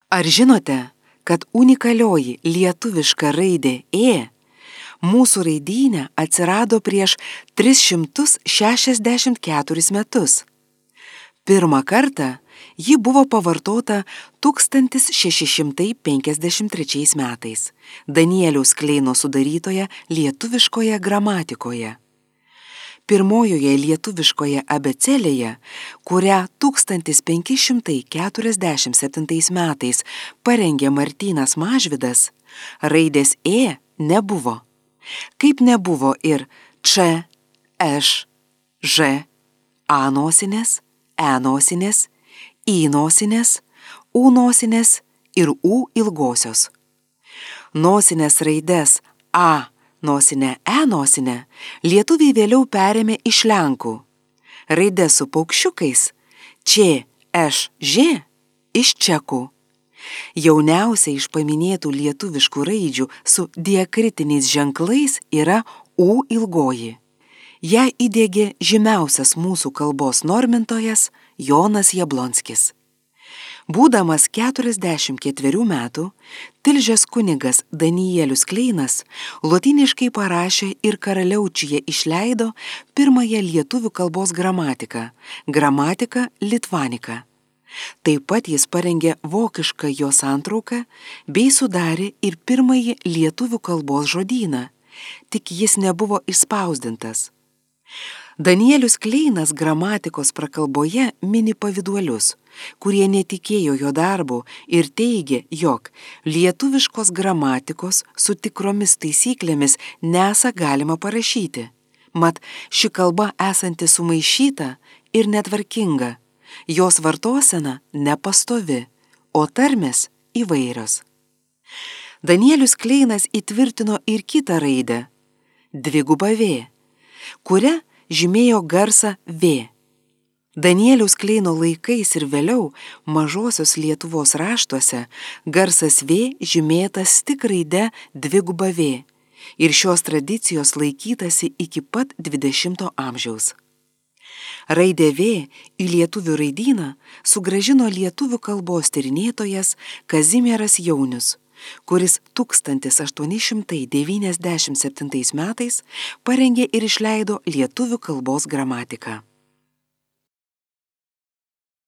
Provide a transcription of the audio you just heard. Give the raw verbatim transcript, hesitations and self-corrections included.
Ar žinote, kad unikalioji lietuviška raidė Ė mūsų raidyne atsirado prieš tris šimtus šešiasdešimt keturis metus? Pirmą kartą ji buvo pavartota tūkstantis šeši šimtai penkiasdešimt trečiais metais Danieliaus Kleino sudarytoje lietuviškoje gramatikoje. Pirmojoje lietuviškoje abėcėlėje, kurią tūkstantis penki šimtai keturiasdešimt septintais metais parengė Martynas Mažvydas, raidės Ė nebuvo. Kaip nebuvo ir Č, Š, Ž, A nosinės, E nosinės, I nosinės, U nosinės ir U ilgosios. Nosinės raides A nosinę, E nosinę lietuviai vėliau perėmė iš lenkų. Raides su paukščiukais Č, Š, Ž iš čekų. Jauniausia iš paminėtų lietuviškų raidžių su diakritiniais ženklais yra U ilgoji. Ją įdiegė žymiausias mūsų kalbos normintojas Jonas Jablonskis. Būdamas keturiasdešimt ketverių metų, Tilžės kunigas Danielius Kleinas lotyniškai parašė ir Karaliaučiuje išleido pirmąją lietuvių kalbos gramatiką – Gramatika Litvanika. Taip pat jis parengė vokišką jo santrauką bei sudarė ir pirmąjį lietuvių kalbos žodyną, tik jis nebuvo išspausdintas. Danielius Kleinas gramatikos prakalboje mini pavyduolius, kurie netikėjo jo darbu ir teigė, jog lietuviškos gramatikos su tikromis taisyklėmis nesą galima parašyti. Mat, ši kalba esanti sumaišyta ir netvarkinga, jos vartosena nepastovi, o tarmės įvairios. Danielius Kleinas įtvirtino ir kitą raidę – dvigubą V, kuria žymėjo garsą V. Danieliaus Kleino laikais ir vėliau mažosios Lietuvos raštuose garsas V žymėtas tik raide dviguba V ir šios tradicijos laikytasi iki pat dvidešimto amžiaus. Raidę V į lietuvių raidyną sugrąžino lietuvių kalbos tyrinėtojas Kazimieras Jaunius, kuris tūkstantis aštuoni šimtai devyniasdešimt septintais metais parengė ir išleido lietuvių kalbos gramatiką.